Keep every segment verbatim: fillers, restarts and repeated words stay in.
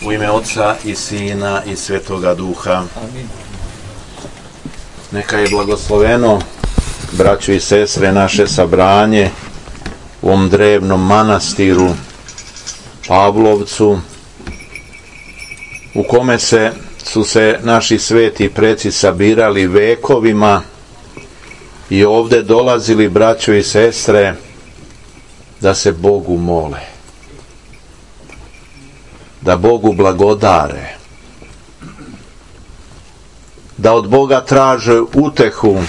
U ime Otca i Sina i Svetoga Duha. Neka je blagosloveno, braćo i sestre, naše sabranje u ovom drevnom manastiru Pavlovcu, u kome se su se naši sveti preci sabirali vekovima i ovdje dolazili, braćo i sestre, da se Bogu mole, da Bogu blagodare, da od Boga traže utehu,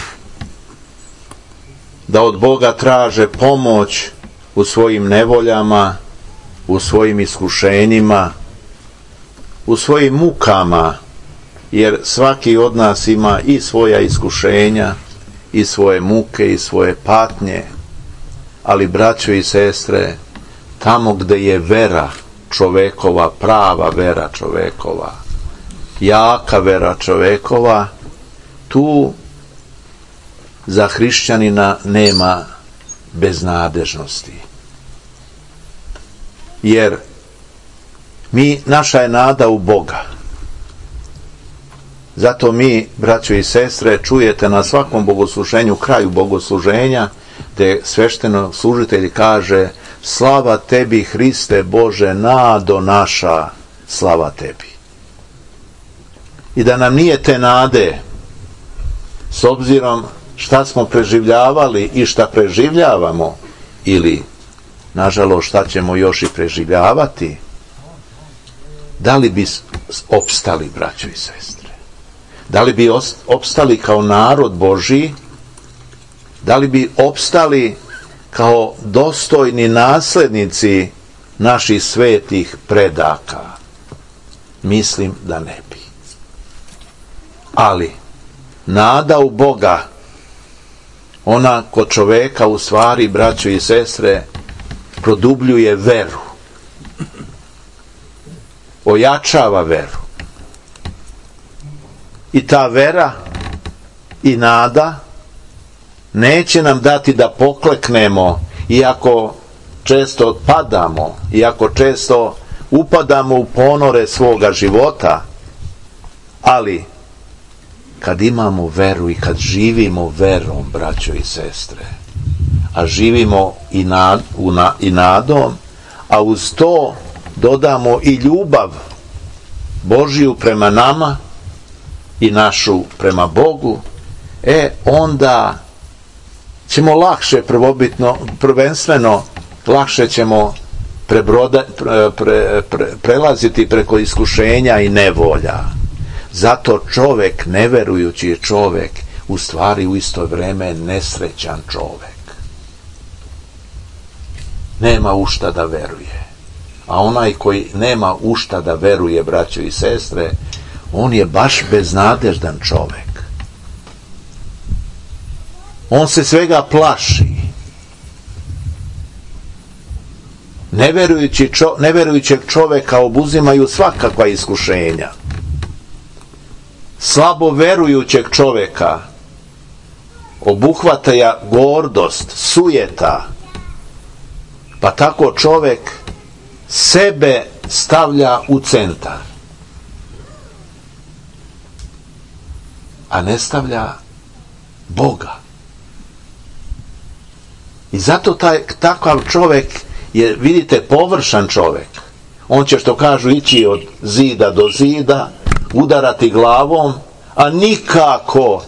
da od Boga traže pomoć u svojim nevoljama, u svojim iskušenjima, u svojim mukama, jer svaki od nas ima i svoja iskušenja, i svoje muke, i svoje patnje, ali, braćo i sestre, tamo gde je vera čovekova, prava vera čovekova, jaka vera čovekova, tu za hrišćanina nema beznadežnosti. Jer mi, naša je nada u Boga. Zato mi, braćo i sestre, čujete na svakom bogosluženju, kraju bogosluženja, gde svešteno služitelj kaže: slava tebi, Hriste Bože, nado naša, slava tebi. I da nam nije te nade, s obzirom šta smo preživljavali i šta preživljavamo, ili, nažalost, šta ćemo još i preživljavati, da li bi opstali, braćo i sestre? Da li bi opstali kao narod Božji? Da li bi opstali kao dostojni naslednici naših svetih predaka? Mislim da ne bi. Ali nada u Boga, ona kod čoveka u stvari, braćo i sestre, produbljuje veru, ojačava veru. I ta vera i nada neće nam dati da pokleknemo, iako često padamo, iako često upadamo u ponore svoga života, ali kad imamo veru i kad živimo verom, braćo i sestre, a živimo i, nad, u na, i nadom, a uz to dodamo i ljubav Božiju prema nama i našu prema Bogu, e onda ćemo lakše, prvobitno, prvenstveno, lakše ćemo prebroda, pre, pre, pre, prelaziti preko iskušenja i nevolja. Zato čovek, neverujući je čovek, u stvari u isto vreme nesrećan čovek. Nema u šta da veruje. A onaj koji nema u šta da veruje, braćo i sestre, on je baš beznadeždan čovek. On se svega plaši. Neverujući čo, neverujućeg čoveka obuzimaju svakakva iskušenja. Slabo verujućeg čoveka obuhvataja gordost, sujeta, pa tako čovek sebe stavlja u centar, a ne stavlja Boga. I zato taj, takav čovek je, vidite, površan čovek. On će, što kažu, ići od zida do zida, udarati glavom, a nikako,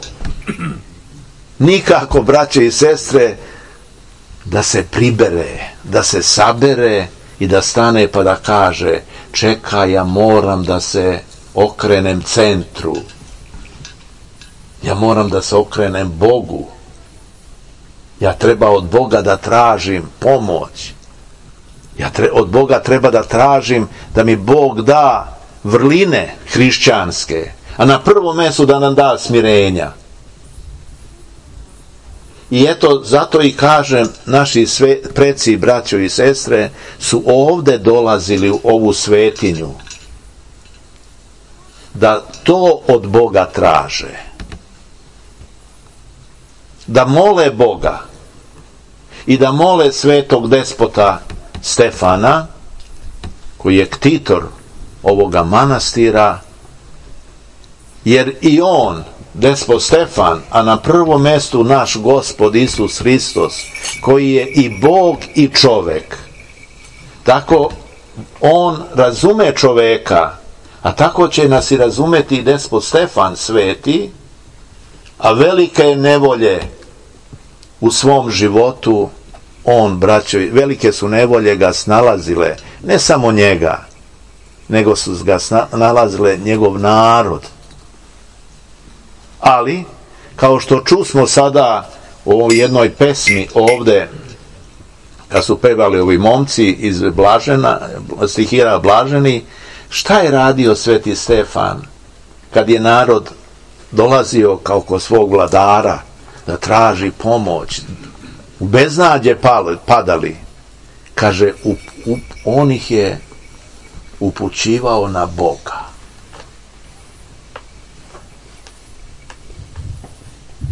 nikako, braće i sestre, da se pribere, da se sabere i da stane pa da kaže: čekaj, ja moram da se okrenem centru. Ja moram da se okrenem Bogu. Ja treba od Boga da tražim pomoć. Ja tre, od Boga treba da tražim da mi Bog da vrline hrišćanske, a na prvom mestu da nam da smirenja. I eto, zato i kažem, naši sve, preci, braćo i sestre, su ovde dolazili u ovu svetinju da to od Boga traže. Da mole Boga i da mole svetog despota Stefana, koji je ktitor ovoga manastira, jer i on, despot Stefan, a na prvom mjestu naš Gospod Isus Hristos, koji je i Bog i čovek, tako on razume čoveka, a tako će nas i razumeti i despot Stefan sveti, a velike je nevolje u svom životu on, braćo, velike su nevolje ga snalazile, ne samo njega, nego su ga snalazile njegov narod. Ali, kao što čusmo sada u ovoj jednoj pesmi ovde, kad su pevali ovi momci iz Blažena, stihira Blaženi, šta je radio sveti Stefan kad je narod dolazio kao kod svog vladara da traži pomoć, u beznađe padali? Kaže, up, up, on ih je upućivao na Boga.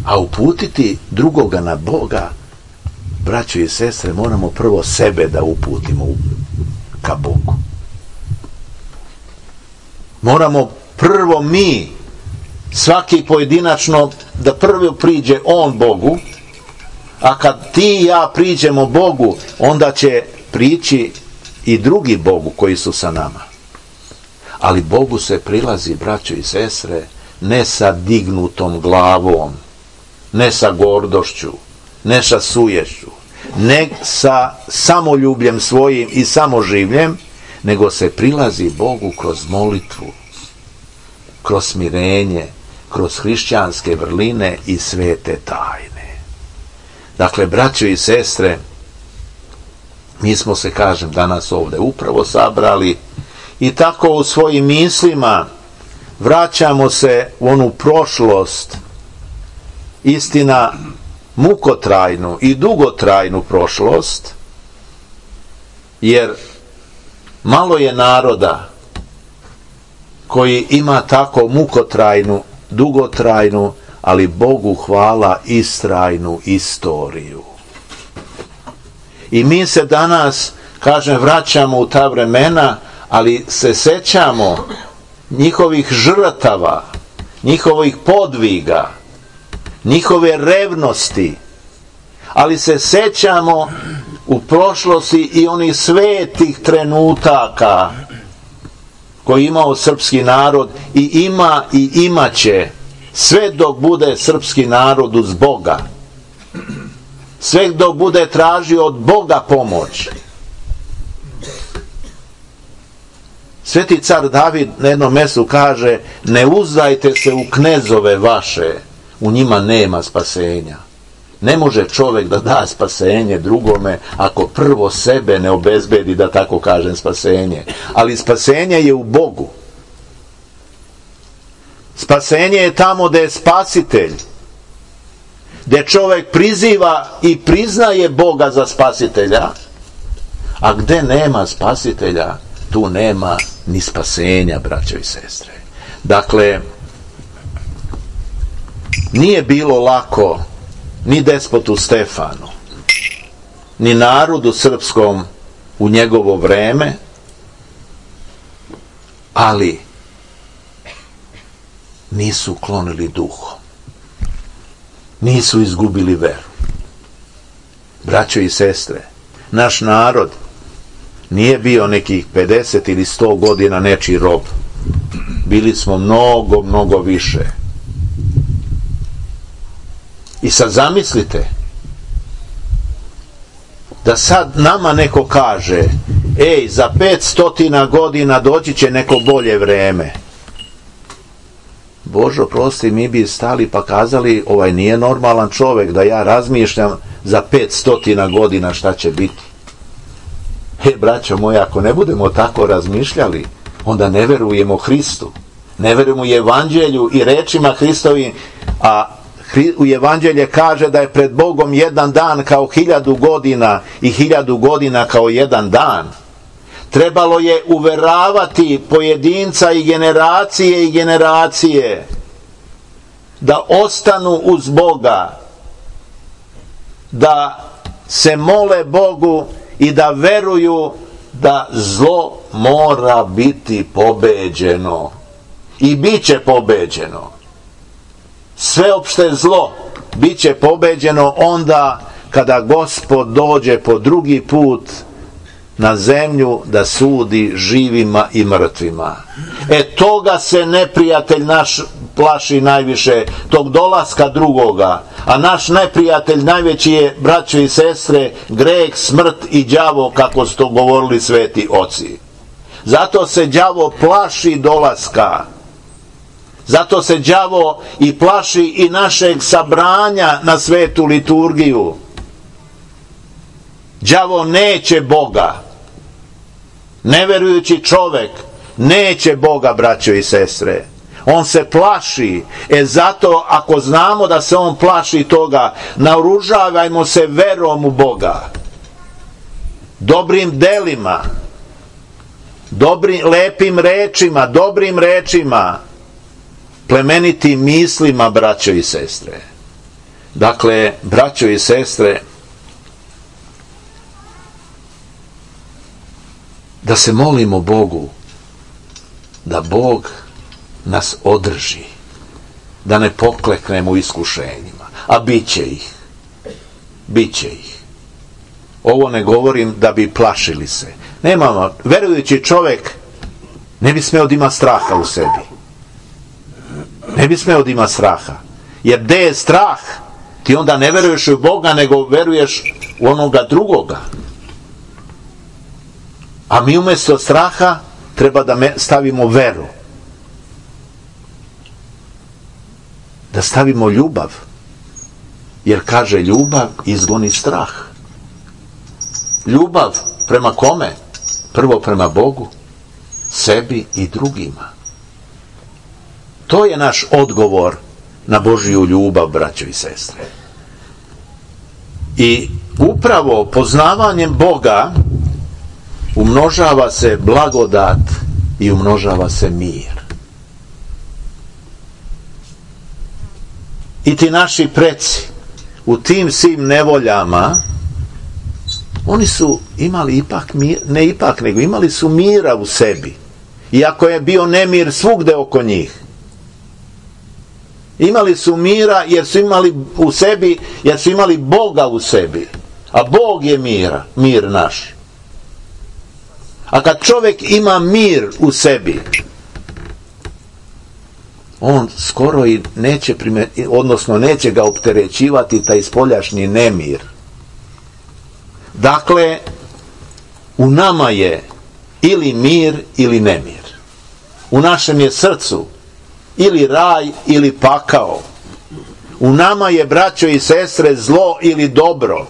A uputiti drugoga na Boga, braćo i sestre, moramo prvo sebe da uputimo ka Bogu. Moramo prvo mi, svaki pojedinačno, da prvo priđe on Bogu, a kad ti i ja priđemo Bogu, onda će prići i drugi Bogu koji su sa nama. Ali Bogu se prilazi, braćo i sestre, ne sa dignutom glavom, ne sa gordošću, ne sa suješću, ne sa samoljubljem svojim i samoživljem, nego se prilazi Bogu kroz molitvu, kroz smirenje, kroz hrišćanske vrline i svete tajne. Dakle, braćo i sestre, mi smo se, kažem, danas ovdje upravo sabrali i tako u svojim mislima vraćamo se u onu prošlost, istina mukotrajnu i dugotrajnu prošlost, jer malo je naroda koji ima tako mukotrajnu, dugotrajnu, ali Bogu hvala, istrajnu istoriju. I mi se danas, kažem, vraćamo u ta vremena, ali se sećamo njihovih žrtava, njihovih podviga, njihove revnosti, ali se sećamo u prošlosti i onih svetih trenutaka koji imao srpski narod i ima i imaće sve dok bude srpski narod uz Boga, sve dok bude tražio od Boga pomoć. Sveti car David na jednom mjestu kaže: ne uzdajte se u knezove vaše, u njima nema spasenja. Ne može čovjek da da spasenje drugome ako prvo sebe ne obezbedi, da tako kažem, spasenje. Ali spasenje je u Bogu. Spasenje je tamo gdje je spasitelj, gdje čovjek priziva i priznaje Boga za spasitelja, a gdje nema spasitelja, tu nema ni spasenja, braćo i sestre. Dakle, nije bilo lako ni despotu Stefanu, ni narodu srpskom u njegovo vreme, ali nisu klonili duhom, nisu izgubili veru. Braćo i sestre, naš narod nije bio nekih pedeset ili sto godina nečiji rob. Bili smo mnogo, mnogo više. I sad zamislite da sad nama neko kaže: ej, za petstotina godina doći će neko bolje vreme. Božo prosti, mi bi stali pa kazali: ovaj nije normalan čovjek da ja razmišljam za petstotina godina šta će biti. E, braćo moja, ako ne budemo tako razmišljali, onda ne verujemo Hristu, ne verujemo evanđelju i rečima Hristovim, a u evanđelje kaže da je pred Bogom jedan dan kao hiljadu godina i hiljadu godina kao jedan dan. Trebalo je uveravati pojedinca i generacije i generacije da ostanu uz Boga, da se mole Bogu i da veruju da zlo mora biti pobeđeno i bit će pobeđeno. Sveopšte zlo bit će pobeđeno onda kada Gospod dođe po drugi put na zemlju da sudi živima i mrtvima. E toga se neprijatelj naš plaši najviše, tog dolaska drugoga. A naš neprijatelj najveći je, braćo i sestre, greh, smrt i đavo, kako su to govorili sveti oci. Zato se đavo plaši dolaska. Zato se đavo i plaši i našeg sabranja na svetu liturgiju. Đavo neće Boga. Neverujući čovek neće Boga, braćo i sestre. On se plaši. E zato, ako znamo da se on plaši toga, naoružavajmo se verom u Boga. Dobrim delima. Dobrim, lepim rečima, dobrim rečima. Plemenitim mislima, braćo i sestre. Dakle, braćo i sestre, da se molimo Bogu, da Bog nas održi, da ne pokleknemo u iskušenjima, a bit će ih, bit će ih. Ovo ne govorim da bi plašili se. Nemamo, verujući čovjek ne bi smeo da ima straha u sebi. Ne bi smeo da ima straha. Jer gde je strah, ti onda ne veruješ u Boga, nego veruješ u onoga drugoga. A mi umjesto straha treba da stavimo veru. Da stavimo ljubav. Jer kaže, ljubav izgoni strah. Ljubav prema kome? Prvo prema Bogu, sebi i drugima. To je naš odgovor na Božju ljubav, braćo i sestre. I upravo poznavanjem Boga umnožava se blagodat i umnožava se mir. I ti naši preci u tim svim nevoljama, oni su imali ipak mir, ne ipak, nego imali su mira u sebi. Iako je bio nemir svugde oko njih. Imali su mira jer su imali u sebi, jer su imali Boga u sebi. A Bog je mira, mir naš. A kad čovjek ima mir u sebi, on skoro i neće primeti, odnosno neće ga opterećivati taj spoljašnji nemir. Dakle, u nama je ili mir ili nemir. U našem je srcu ili raj ili pakao. U nama je, braćo i sestre, zlo ili dobro.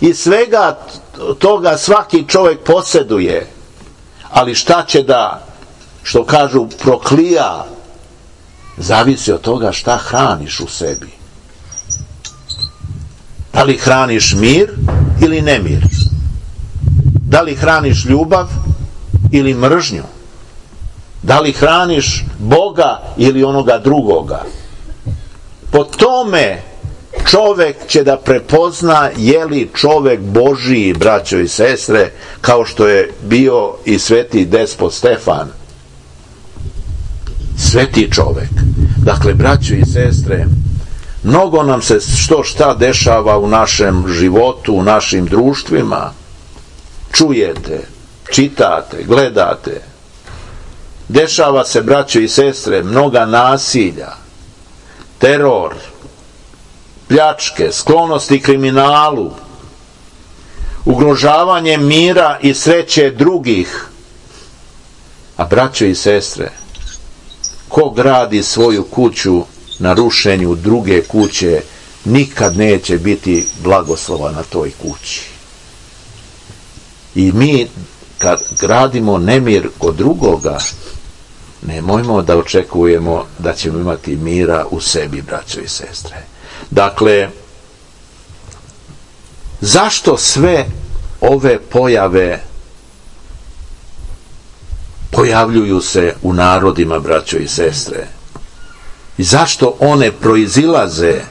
I svega toga svaki čovjek posjeduje. Ali šta će da, što kažu, proklija, zavisi od toga šta hraniš u sebi. Da li hraniš mir ili nemir? Da li hraniš ljubav ili mržnju? Da li hraniš Boga ili onoga drugoga? Po tome čovjek će da prepozna je li čovjek Božiji, braćo i sestre, kao što je bio i sveti despot Stefan. Sveti čovjek. Dakle, braćo i sestre, mnogo nam se što šta dešava u našem životu, u našim društvima. Čujete, čitate, gledate. Dešava se, braćo i sestre, mnoga nasilja, teror, pljačke, sklonosti kriminalu, ugrožavanje mira i sreće drugih. A braćo i sestre, ko gradi svoju kuću na rušenju druge kuće, nikad neće biti blagoslova na toj kući. I mi, kad gradimo nemir kod drugoga, nemojmo da očekujemo da ćemo imati mira u sebi, braćo i sestre. Dakle, zašto sve ove pojave pojavljuju se u narodima, braćo i sestre? I zašto one proizilaze?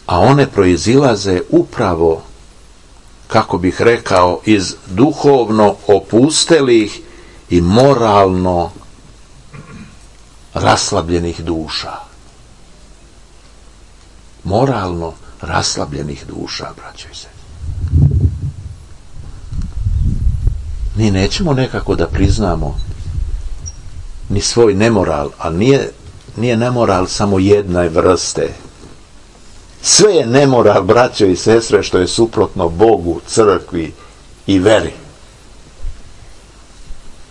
A one proizilaze upravo kako bih rekao, iz duhovno opustelih i moralno raslabljenih duša. Moralno raslabljenih duša, braćo i sestre. Mi nećemo nekako da priznamo ni svoj nemoral, a nije, nije nemoral samo jedne vrste. Sve je nemoral, braćo i sestre, što je suprotno Bogu, crkvi i veri.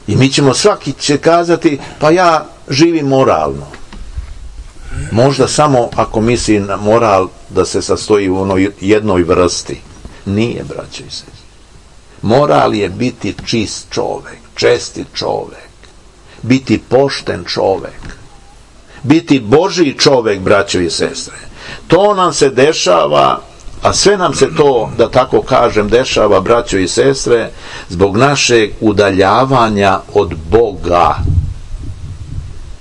I mi ćemo, svaki će kazati, pa ja živim moralno. Možda samo ako misli na moral da se sastoji u onoj jednoj vrsti. Nije, braćo i sestre. Moral je biti čist čovek, čestit čovek, biti pošten čovek, biti Božji čovek, braćo i sestre. To nam se dešava, a sve nam se to, da tako kažem, dešava, braćo i sestre, zbog našeg udaljavanja od Boga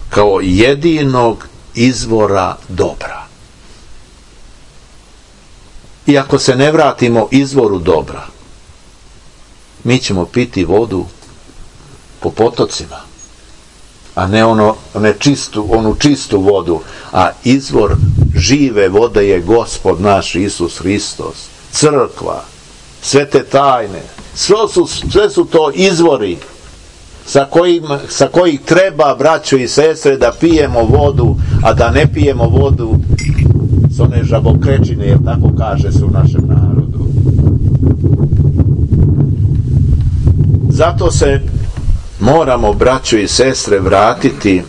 kao jedinog izvora dobra. I ako se ne vratimo izvoru dobra, mi ćemo piti vodu po potocima, a ne ono, ne čistu, onu čistu vodu, a izvor žive vode je Gospod naš Isus Hristos, crkva, sve te tajne, sve su, sve su to izvori sa kojim, sa kojih treba, braćo i sestre, da pijemo vodu, a da ne pijemo vodu s one žabokrečine, jer tako kaže se u našem narodu. Zato se moramo, braćo i sestre, vratiti,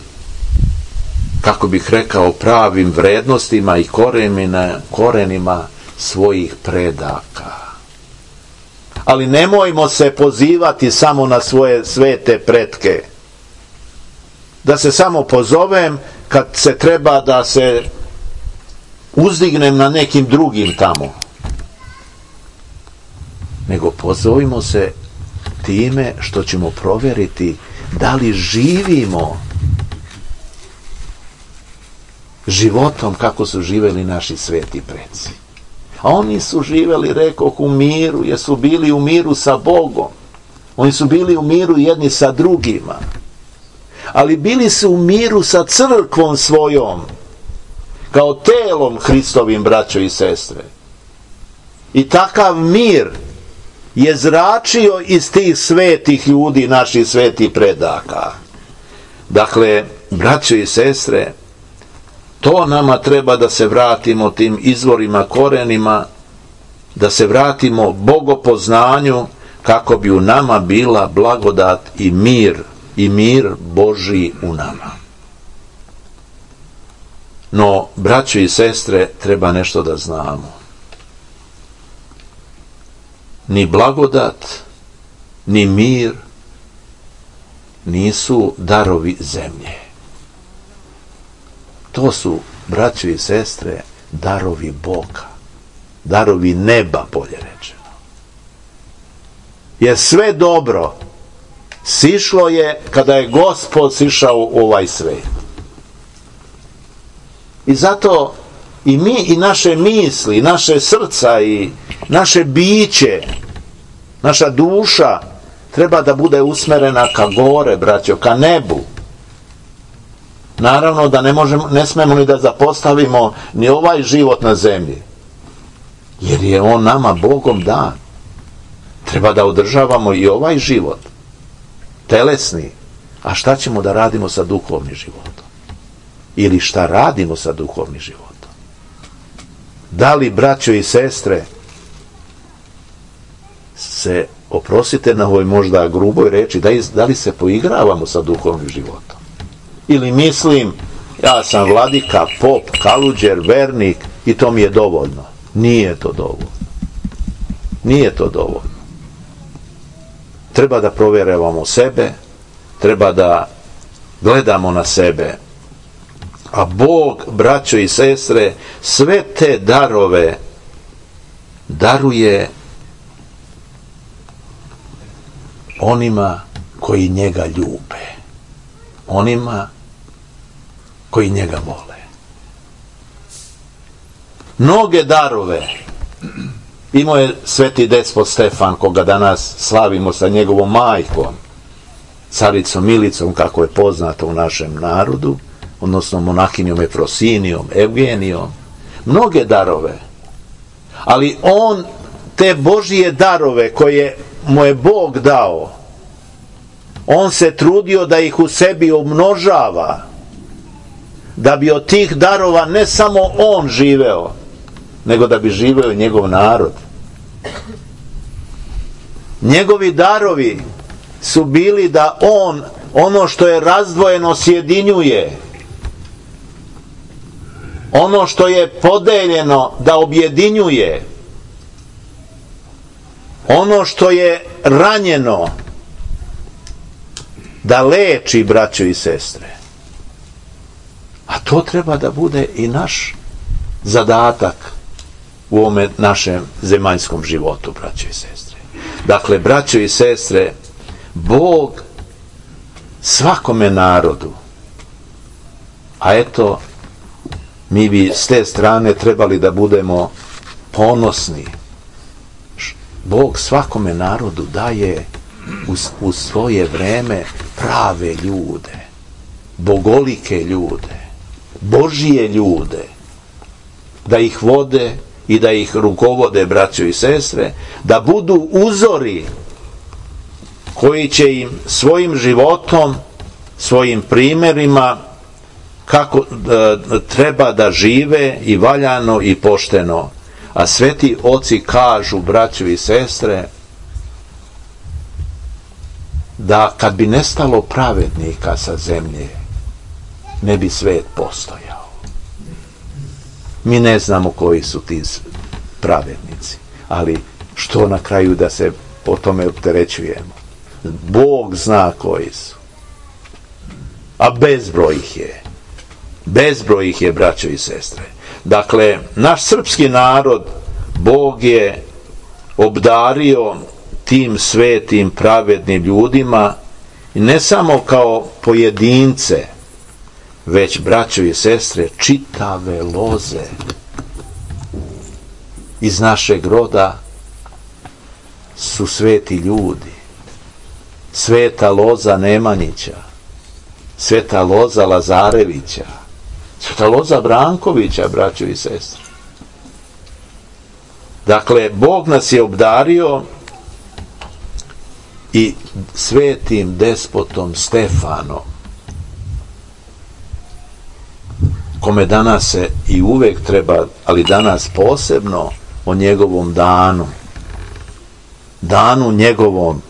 kako bih rekao, pravim vrednostima i korenima, korenima svojih predaka. Ali nemojmo se pozivati samo na svoje svete pretke. Da se samo pozovem kad se treba da se uzdignem na nekim drugim tamo. Nego pozovimo se time što ćemo provjeriti da li živimo životom kako su živeli naši sveti preci. A oni su živeli, rekoh, u miru, jer su bili u miru sa Bogom. Oni su bili u miru jedni sa drugima. Ali bili su u miru sa crkvom svojom, kao telom Hristovim, braćo i sestre. I takav mir je zračio iz tih svetih ljudi, naših svetih predaka. Dakle, braćo i sestre, to nama treba da se vratimo tim izvorima, korenima, da se vratimo bogopoznanju, kako bi u nama bila blagodat i mir, i mir Božji u nama. No, braćo i sestre, treba nešto da znamo. Ni blagodat, ni mir nisu darovi zemlje. To su, braćo i sestre, darovi Boga, darovi neba, bolje rečeno. Jer sve dobro sišlo je kada je Gospod sišao u ovaj svet. I zato i mi, i naše misli, i naše srca, i naše biće, naša duša treba da bude usmerena ka gore, braćo, ka nebu. Naravno da ne možemo, ne smemo ni da zapostavimo ni ovaj život na zemlji, jer je on nama Bogom dan. Treba da održavamo i ovaj život, telesni. A šta ćemo da radimo sa duhovnim životom? Ili šta radimo sa duhovnim životom? Da li, braćo i sestre, se, oprostite na ovoj možda gruboj reči, da, iz, da li se poigravamo sa duhovnim životom? Ili mislim, ja sam vladika, pop, kaluđer, vernik i to mi je dovoljno. Nije to dovoljno. Nije to dovoljno. Treba da provjeravamo sebe, treba da gledamo na sebe. A Bog, braćo i sestre, sve te darove daruje onima koji njega ljube, onima koji njega vole. Mnoge darove Imao je sveti despot Stefan, koga danas slavimo sa njegovom majkom, caricom Milicom, kako je poznato u našem narodu, odnosno monahinjom Efrosinijom, Evgenijom, mnoge darove. Ali on te Božije darove koje mu je Bog dao, on se trudio da ih u sebi umnožava, da bi od tih darova ne samo on živeo, nego da bi živeo njegov narod. Njegovi darovi su bili da on ono što je razdvojeno sjedinjuje, ono što je podeljeno da objedinjuje, ono što je ranjeno da leči, braćo i sestre. A to treba da bude i naš zadatak u ovome našem zemaljskom životu, braćo i sestre. Dakle, braćo i sestre, Bog svakome narodu, a eto, mi bi s te strane trebali da budemo ponosni. Bog svakome narodu daje u, u svoje vreme prave ljude, bogolike ljude, Božije ljude, da ih vode i da ih rukovode, braćo i sestre, da budu uzori koji će im svojim životom, svojim primjerima, kako e, treba da žive i valjano i pošteno. A sveti oci kažu, braćo i sestre, da kad bi nestalo pravednika sa zemlje, ne bi svet postojao. Mi ne znamo koji su ti pravednici, ali što na kraju da se po tome opterećujemo? Bog zna koji su. A bezbroj ih je. Bezbroj ih je, braćo i sestre. Dakle, naš srpski narod Bog je obdario tim svetim pravednim ljudima, i ne samo kao pojedince, već, braćo i sestre, čitave loze iz našeg roda su sveti ljudi. Sveta loza Nemanjića, sveta loza Lazarevića, sveta loza Brankovića, braćo i sestre. Dakle, Bog nas je obdario i svetim despotom Stefanom, kome danas se i uvek treba, ali danas posebno, o njegovom danu, danu njegovom.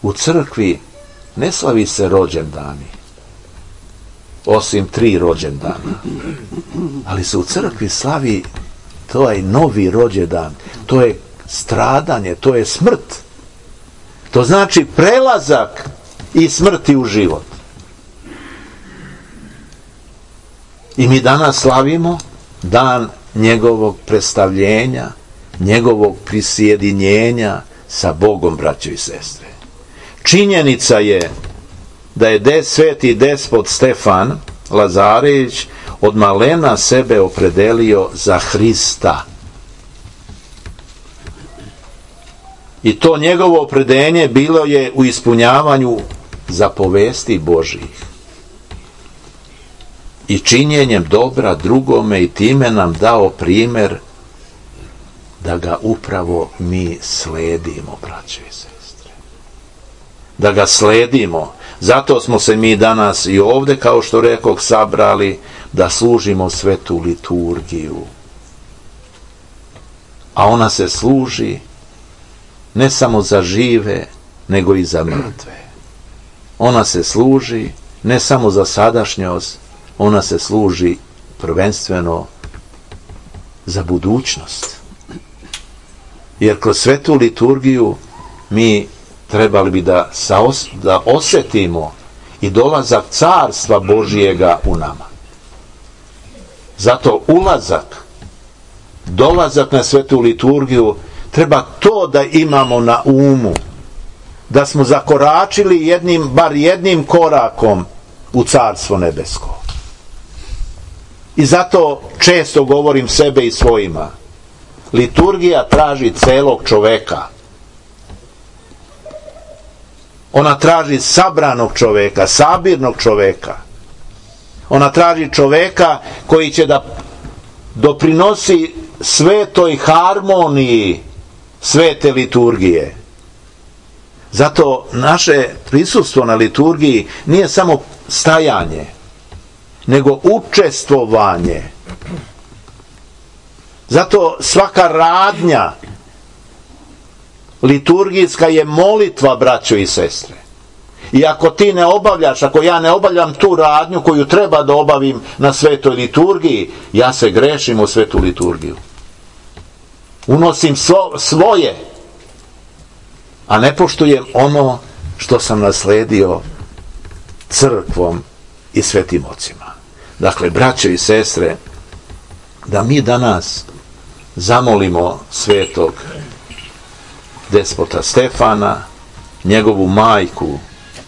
U crkvi ne slavi se rođendani, osim tri rođendana, ali se u crkvi slavi taj novi rođendan, to je stradanje, to je smrt, to znači prelazak iz smrti u život. I mi danas slavimo dan njegovog predstavljenja, njegovog prisjedinjenja sa Bogom, braćo i sestre. Činjenica je da je des, sveti despot Stefan Lazarević od malena sebe opredelio za Hrista. I to njegovo opredeljenje bilo je u ispunjavanju zapovesti Božjih i činjenjem dobra drugome, i time nam dao primjer da ga upravo mi sledimo, braćo i sestre. Da ga sledimo. Zato smo se mi danas i ovdje, kao što rekoh, sabrali da služimo svetu liturgiju. A ona se služi ne samo za žive, nego i za mrtve. Ona se služi ne samo za sadašnjost, ona se služi prvenstveno za budućnost. Jer kroz svetu liturgiju mi trebali bi da, saos, da osjetimo i dolazak carstva Božijega u nama. Zato ulazak, dolazak na svetu liturgiju, treba to da imamo na umu, da smo zakoračili jednim, bar jednim korakom u carstvo nebesko. I zato često govorim sebe i svojima. Liturgija traži celog čoveka. Ona traži sabranog čoveka, sabirnog čoveka. Ona traži čoveka koji će da doprinosi svetoj harmoniji svete liturgije. Zato naše prisustvo na liturgiji nije samo stajanje, nego učestvovanje. Zato svaka radnja liturgijska je molitva, braćo i sestre. I ako ti ne obavljaš, ako ja ne obavljam tu radnju koju treba da obavim na svetoj liturgiji, ja se grešim u svetu liturgiju. Unosim svo, svoje, a ne poštujem ono što sam nasledio crkvom i svetim ocima. Dakle, braćo i sestre, da mi danas zamolimo svetog despota Stefana, njegovu majku,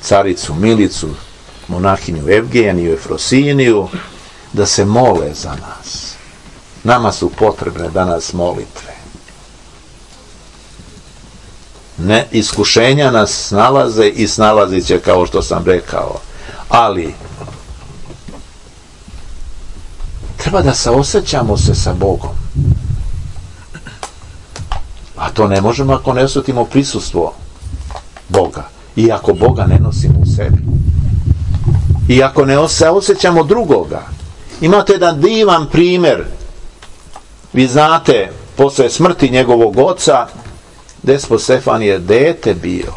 caricu Milicu, monahinju Evgeniju, Efrosiniju, da se mole za nas. Nama su potrebne danas molitve. Ne, iskušenja nas snalaze i snalazit će, kao što sam rekao, ali treba da saosećamo se sa Bogom. A to ne možemo ako ne osjetimo prisustvo Boga. I ako Boga ne nosimo u sebi. I ako ne osjećamo drugoga. Imate jedan divan primjer. Vi znate, posle smrti njegovog oca, despot Stefan je dete bio.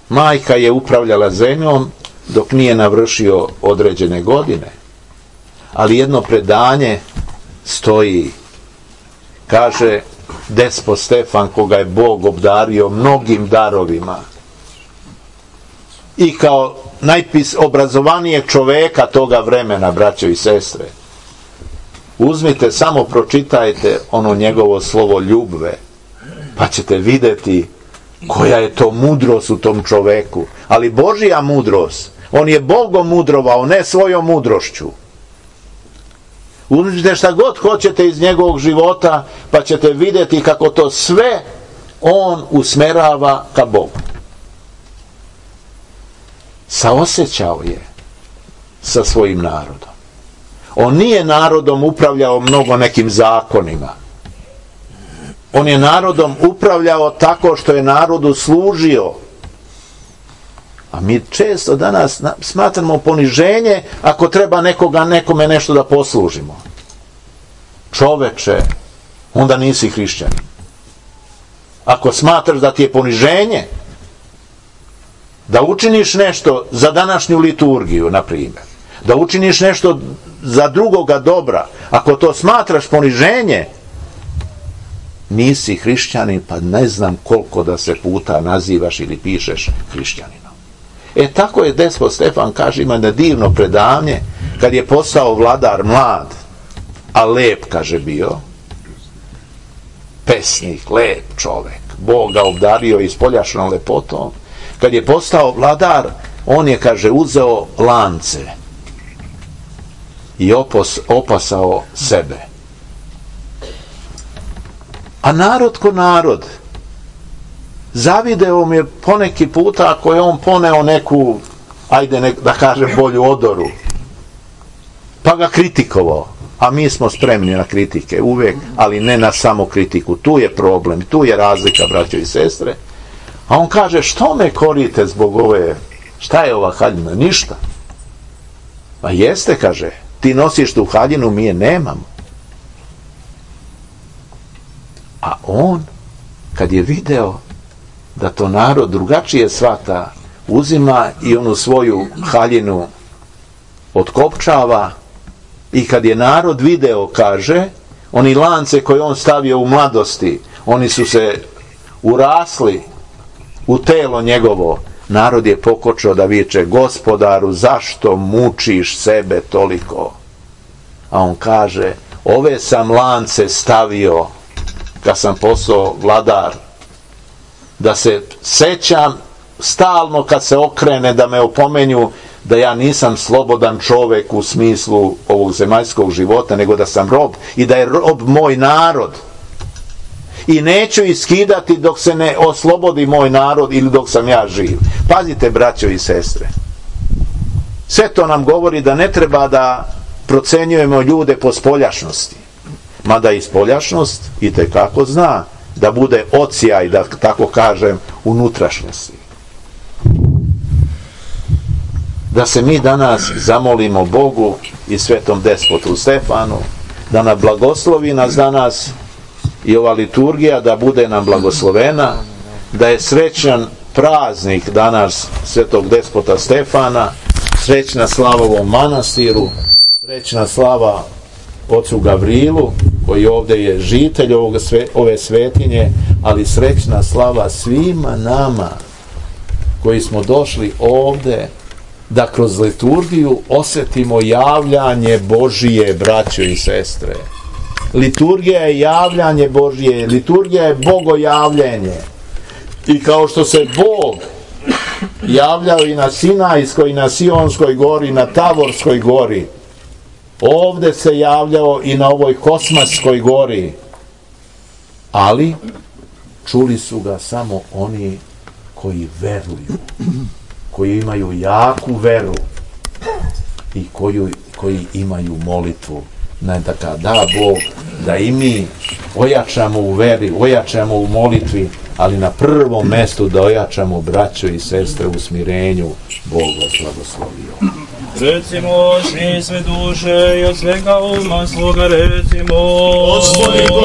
Majka je upravljala zemljom dok nije navršio određene godine. Ali jedno predanje stoji. Kaže, despot Stefan, koga je Bog obdario mnogim darovima i kao najpis obrazovanijeg čoveka toga vremena, braćo i sestre, uzmite, samo pročitajte ono njegovo slovo ljubve, pa ćete vidjeti koja je to mudrost u tom čoveku. Ali Božja mudrost, on je Bogom mudrovao, ne svojom mudrošću. Uzmite šta god hoćete iz njegovog života, pa ćete vidjeti kako to sve on usmerava ka Bogu. Saosećao je sa svojim narodom. On nije narodom upravljao mnogo nekim zakonima. On je narodom upravljao tako što je narodu služio. A mi često danas smatramo poniženje ako treba nekoga, nekome nešto da poslužimo. Čoveče, onda nisi hrišćanin. Ako smatraš da ti je poniženje da učiniš nešto za današnju liturgiju, na primjer, da učiniš nešto za drugoga dobra, ako to smatraš poniženje, nisi hrišćanin, pa ne znam koliko da se puta nazivaš ili pišeš hrišćaninom. E tako je despot Stefan, kaže, ima na divno predanje, kad je postao vladar mlad, a lep, kaže, bio, pesnik, lep čovek, Bog ga obdario ispoljašnom lepotom. Kad je postao vladar, on je, kaže, uzeo lance i opos, opasao sebe. A narod ko narod, zavideo mi je poneki puta ako je on poneo neku, ajde ne, da kažem, bolju odoru, pa ga kritikovao. A mi smo spremni na kritike uvijek, ali ne na samo kritiku. Tu je problem, tu je razlika, braćo i sestre. A on kaže, što me korite zbog ove, šta je ova haljina? Ništa. Pa jeste, kaže, ti nosiš tu haljinu, mi je nemamo. A on, kad je video da to narod drugačije shvata, uzima i onu svoju haljinu otkopčava, i kad je narod video, kaže, oni lance koje on stavio u mladosti, oni su se urasli u telo njegovo, narod je pokočao da viče, Gospodaru, zašto mučiš sebe toliko? A on kaže, ove sam lance stavio kad sam postao vladar, da se sećam stalno kad se okrene, da me opomenju da ja nisam slobodan čovjek u smislu ovog zemaljskog života, nego da sam rob i da je rob moj narod. I neću iskidati dok se ne oslobodi moj narod ili dok sam ja živ. Pazite, braćo i sestre. Sve to nam govori da ne treba da procenjujemo ljude po spoljašnosti. Mada i spoljašnost itekako zna da bude ocijaj, da tako kažem, unutrašnjosti. Da se mi danas zamolimo Bogu i svetom despotu Stefanu da nam blagoslovi nas danas i ova liturgija da bude nam blagoslovena, da je srećan praznik danas svetog despota Stefana, srećna slava ovom manastiru, srećna slava ocu Gavrilu koji ovdje je žitelj ovog, ove svetinje, ali srećna slava svima nama koji smo došli ovdje da kroz liturgiju osjetimo javljanje Božije, braćo i sestre. Liturgija je javljanje Božije, liturgija je bogojavljenje. I kao što se Bog javljao i na Sinajskoj, i na Sionskoj gori, i na Tavorskoj gori, ovdje se javljao i na ovoj Kosmaskoj gori, ali čuli su ga samo oni koji veruju, koji imaju jaku veru i koju, koji imaju molitvu. Neka da Bog da i mi ojačamo u veri, ojačamo u molitvi, ali na prvom mjestu da ojačamo braćo i sestre u smirenju. Bog vas blagoslovio. Recimo, svi sve duše i od svega uma svoga recimo, Gospodi